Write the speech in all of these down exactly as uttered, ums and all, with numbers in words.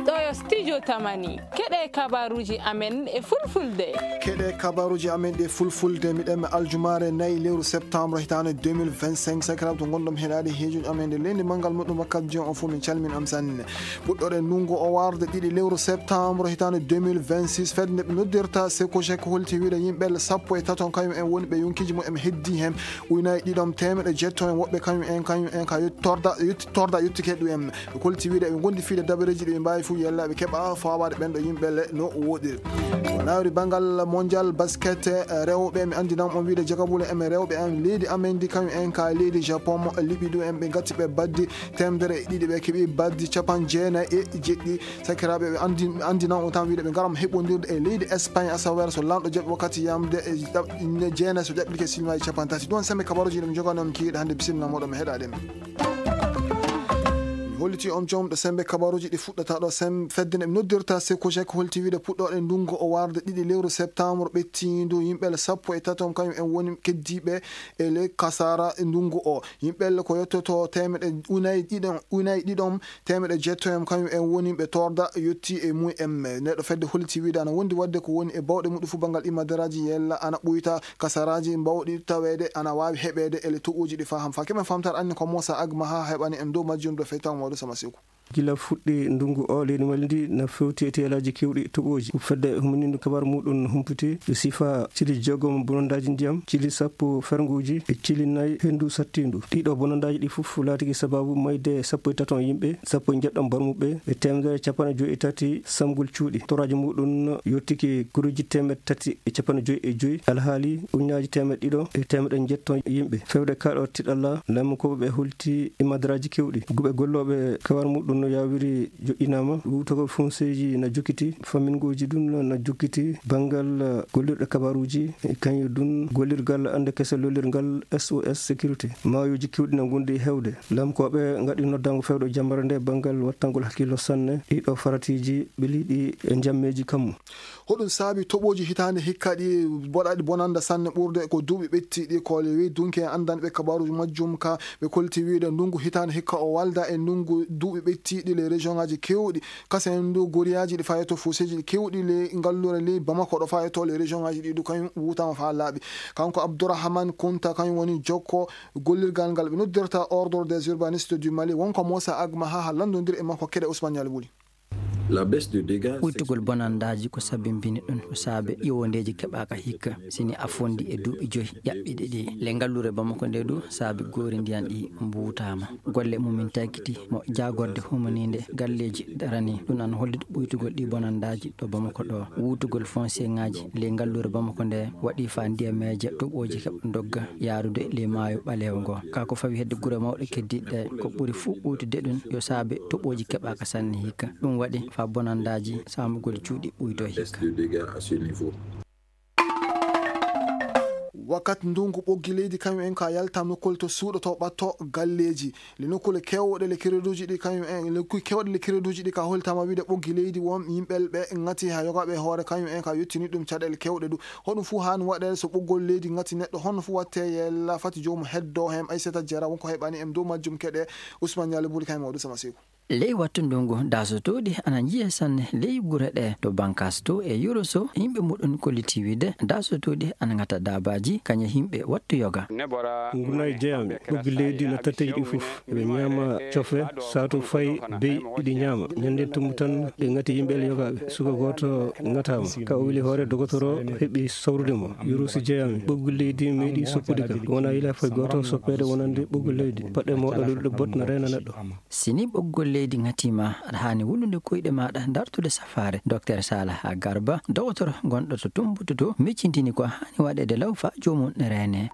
Ɗo yo studio Tamani. Keɗe kabaruji amen e fulfulde. Keɗe kabaruji amen ɗe fulfulde. Miɗen mi aljumaare nayi lewru septembre hitaande deux mille vingt-cinq. Sakiraaɓe to ngonɗon heɗaade heejuji amen nde leydi manngal muɗum wakkati joni on fof min calmin am sanne. Puɗɗoɗen ndunngu o warde ɗiɗi lewru septembre hitaande deux mille vingt-six. Fedde nde ɓe noddirta Seko Seko holti wiide yimɓe sappo e taton kañum en woni ɓe yonkiji mumen heddi hen. Ujunnaaji ɗiɗon teemeɗɗe jeetati en woɓɓe kañum en, kañum en ka yetti torda, yetti torda, yettike ɗum en. Ɓe kolti wiide ɓe gondi fiide dabareeji ɗi ɓe mbaawi fof yella ɓe keɓa fawaade ɓen ɗo yimɓe le no woɗiri. Ko nawri banngal mondial basket, eh, rewɓe, mi anndinan on wiide jagabule en rewɓe en leydi amen ndi kañum en ka leydi Japon, liɓi ɗum en ɓe gatti ɓe baddi teemedere e ɗiɗi, ɓe keɓi baddi capanɗe jeenayi e jeɗɗi. Sakiraaɓe, ɓe anndi-, anndinan on tan wiide ɓe ngaram heɓondirde e leydi Espagne, asaweere so lanɗo jaɓi wakkati yamde e ɗaɓ-, ne jeenayi so jaɓɓirke silmaaji capanɗe tati. Ɗum woni sembe kabaruji ɗi mi jogani on kiiɗe hannde, bisimilla moɗon mi heɗaɗen. Mi holliti on jomɗo sembe kabaruji ɗi fuɗɗata ɗo sem-, fedde nde mi noddirta Seko Seko holti wiide puɗɗoɗen ndunngu o warde ɗiɗi lewru septembre ɓettiindu yimɓe le sappo e taton kañum en woni keddiiɓe e le kasara ndunngu o. Yimɓe le ko yottoto teemeɗɗe ujunnaaji ɗiɗon, ujunnaaji ɗiɗon teemeɗɗe jeetati en kañum en woni ɓe torda yotti e mum en. Neɗɗo fedde holliti wiide ana wondi wadde ko woni e bawɗe muɗum fof banngal imadaraaji yella ana ɓuyta kasaraaji mbawɗi taweede ana waawi heɓeede e le toɓoji ɗi faham fa. Keɓen famtar anni ko Moussa Agma ha heɓani en dow majjum ɗo feytaw mawɗo sama siku. Gila fuɗɗi ndunngu o, leydi Mali ndi na fewti e teelaaji keewɗi toɓooji. Fedde humanindo kabar muɗum humpiti e sifa cili jeegom bonondaaji ndiyam, cili sappo fernguuji e cili nayi henndu sattiindu. Ɗiɗo bonondaaji ɗi fof laatiki sababu mayde sappo e taton yimɓe, sappo e njeɗɗon barmuɓe e teemedere capanɗe joyi e tati samgol cuuɗi. Toraaji muɗum yottiki koruuji teemeɗɗe tati e capanɗe joyi e joyi, alhaali ujunnaaji teemeɗɗe ɗiɗo e teemeɗɗe njeɗɗon yimɓe. Fewde kaɗo tiɗalla, laamikooɓe ɓe holti e madaraaji keewɗi. Guɓe gollooɓe kawar muɗum no yaawiri joƴƴinaama. Wuutagol fonseeji na jokkiti, fammingooji ɗum na jokkiti. Banngal, eh, gollirɗe kabaruuji, e kañum ɗum gollirgal annde kese lollirgal S O S sécurité. Maayooji keewɗi na ngondi e heewde. Laamikooɓe ngaɗi noddaango fewdo jammare nde banngal wattangol hakkillo sanne. Ɗiɗo faratiiji ɓeliiɗi e njammeeji kammu. Hoɗum saabi toɓooji hitaande hikka ɗi boɗaɗi bonanda sanne ɓurde ko duuɓi ɓettiiɗi ko le wi dunke anndanɓe kabaruuji majjum ka ɓe kolti wiide ndunngu hitaande hikka o walda e ndunngu duuɓi ɓettiiɗi le région ngaji keewɗi. Kasen ndu goriyaaji ɗi fayeto fuuseeji ɗi keewɗi le ngalluure le Bamako ɗo fayeto le région ngaji ɗi du kañum wutama fa laaɓi. Kanko Abdourahmane Kunta kañum woni jokko gollirgal ngal ɓe noddirta Ordre des Urbanistes du Mali. Wonko Moussa Agma ha ha lanndondir e makko keɗe Ousmane Nialy Wuli. La baisse de dégâts. Ɓuytugol bonandaaji ko sabimbini ɗum ko saabe iwondeeji keɓaaka hikka, sini a fondi e duuɓi joyi ƴaɓɓiɗi ɗi. Le ngalluure Bamako nde du saabi goori ndiyan ɗi mbuutaama. Golle mumin tagiti mo jaagorde humaniinde galleeji darani. Ɗum an hollude ɓuytugol ɗi bonandaaji ɗo Bamako ɗo. Wuutugol foncier ngaji le ngalluure Bamako nde waɗi fa ndiyameeje toɓooji heɓa dogga yaarude le maayo ɓaleewo ngo. Ka ko fawi hedde gure mawɗe keddiiɗe ɗe, ko ɓuri fuu ɓuytude ɗum yo saabe toɓooji keɓaaka sanne hikka. Ɗum waɗi fa bonandaaji saamugol cuuɗi ɓuyto hikka. Wakkati ndunngu ɓoggi leydi kañum en ka yaltam nokkol to suuɗo to ɓatto galleeji. Le nokkule kewɗe le créditji ɗi kañum en, le kuy kewɗe le créditji ɗi ka holtama wiide ɓoggi leydi won yimɓe ɓe ngati ha yogaɓe hoore kañum en ka yettini ɗum caɗeele kewɗe du. Hoɗum fuu haani waɗeede so ɓoggol leydi ngati neɗɗo honno fuu watte yella fati joomum heddo hem Aissata Diarra wonko heɓani em dow majjum keɗe Ousmane Nialy Buli kañum o Ousmane Seku. Ley wattu ndungu daasotooɗi ana njiya sanne ley gure ɗe to Bankaas to e Yoroso yimɓe muɗum kolliti wiide daasotooɗi ana ngata daabaaji kañe yimɓe wattu yoga. Nguna e jeyami ɓoggi leydi no tatteji ɗi fof. Eɓe ñaama cofe, saatu fay bey iɗi ñaama. Ñande tumbu tan ɓe ngati yimɓe ele yogaaɓe. Suka gooto ngataama. Ka o wili hoore dogotoro heɓi sawrude mo. Yurusi jeyami. Ɓoggi leydi meeɗi soppude kam. Wona yila fay gooto soppeede wonande ɓoggi leydi. Paɗɗe mawɗe lolluɗe bot na reena neɗɗo. Sini ɓoggol leydi ngatiima, aɗa haani wulude koyɗe maaɗa dartude safaare. Doktor Salah Garba, dogotoro gonɗo to Tumbutu to, miccintini ko haani waɗeede law faa joomum ne reenee.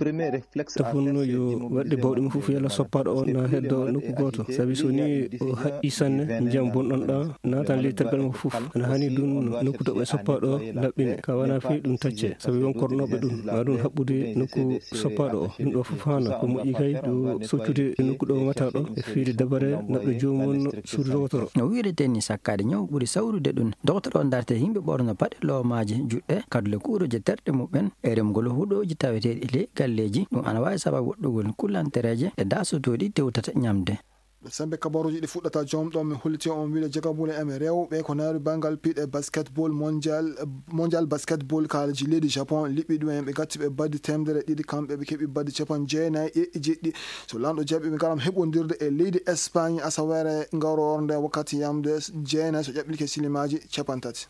Tafunno yo waɗde bawɗe mum fof yalla soppaaɗo o na heddo nokku gooto. Sabi so ni o haqqi sanne, ndiyam bonɗon ɗan naatan ley tergal makko fof. Ana haani ɗum nokku to ɓe soppaaɗo o laɓɓine. Ka wana fii ɗum tacce. Sabi won kornooɓe ɗum. Ma ɗum haɓɓude nokku soppaaɗo o. Ɗum ɗo fof haana. Ko moƴƴi kay ɗo soccude nokku ɗo ngata ɗo. E fiide dabare naɓɗo joomum suudu dogotoro. No wi'irete ni sakkaade ñaw ɓuri sawrude ɗum. Dogotoro o darte yimɓe ɓorno paɗe loomaaje juɗɗe, kadule kuuroje terɗe muɓɓen, e remgol huɗooji taweteeɗi ley galleeji. Ɗum ana waawi sababu woɗɗugol kullantereeje ɗe daasotooɗi tewtata ñamde. Ɗo sembe kabaruuji ɗi fuɗɗata jom ɗon, mi holliti on wiide jagabule en rewɓe ko naari bangal piɗe basketball mondial, mondial basketball kaalji leydi Japon, liɓɓi ɗum en ɓe gatti ɓe baddi temedere ɗiɗi, kamɓe ɓe keɓi baddi capan jeenayi e jeɗɗi. So lanɗo jaɓi, ɓe ngaram heɓondirde e leydi Espagne asawere ngaror nde wakkati yamde jeenayi so ƴaɓɓilke silimaaji capan tati.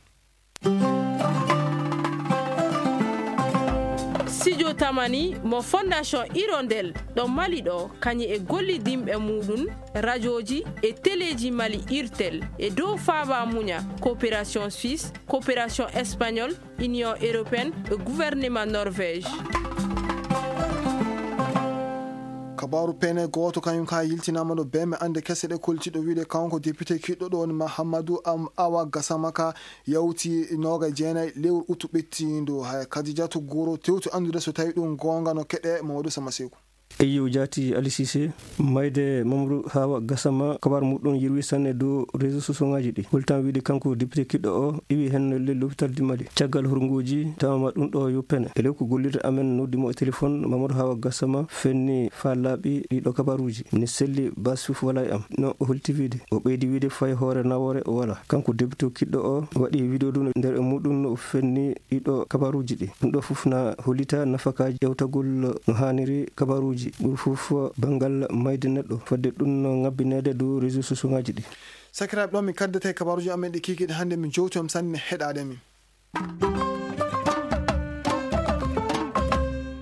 Studio Tamani mo Fondation Hirondelle ɗo Mali ɗo, kañum e gollidinɓe muɗum, rajooji e teleeji Mali, Irtel, e dow faaba muña, coopération suisse, coopération espagnole, Union européenne e gouvernement Norvège. Kabaaru pene gooto kañum ka yiltinaama ɗo bee me annde kese ɗe kolti ɗo wiide kanko député kiɗɗo ɗo woni Mahamadou Am Awa Gassama ka yawti nooga e jeenayi lewru utu ɓettiindu. Hay Kadijatu Guro tewti anndude so tawi ɗum goonga no keɗe Mamadou Sama Seeku. Eyyo jaati Ali Cissé, mayde Mamadou Hawa Gassama, kabar muɗum yirwi sanne dow réseau sociaux ngaji ɗi. Holtan wiide kanko député kiɗɗo o iwi hen le l'hôpital du Mali. Caggal hurguji tawama ɗum ɗo yo pene. E lewku gollirde amen noddi mo e téléphone, Mamadou Hawa Gassama fenni fa laaɓi ɗiɗo kabaruji. Ni selli bas fof wala e am. No o holti wiide. O ɓeydi wiide fay hoore nawore o wala. Kanko député kiɗɗo o waɗi vidéo ɗum nder e muɗum no o fenni ɗiɗo kabaruji ɗi. Ɗum ɗo fof na hollita nafakaji ƴewtagol no haniri kabaruji. Ɓuri fof bangal mayde neɗɗo. Fodde ɗum no ngabbinede dow réseau sociaux ngaji ɗi. Sakiraaɓe, ɗo min kaddete kabaruji amen ɗi kikiɗe hannde, min jowti on sanne heɗaade min.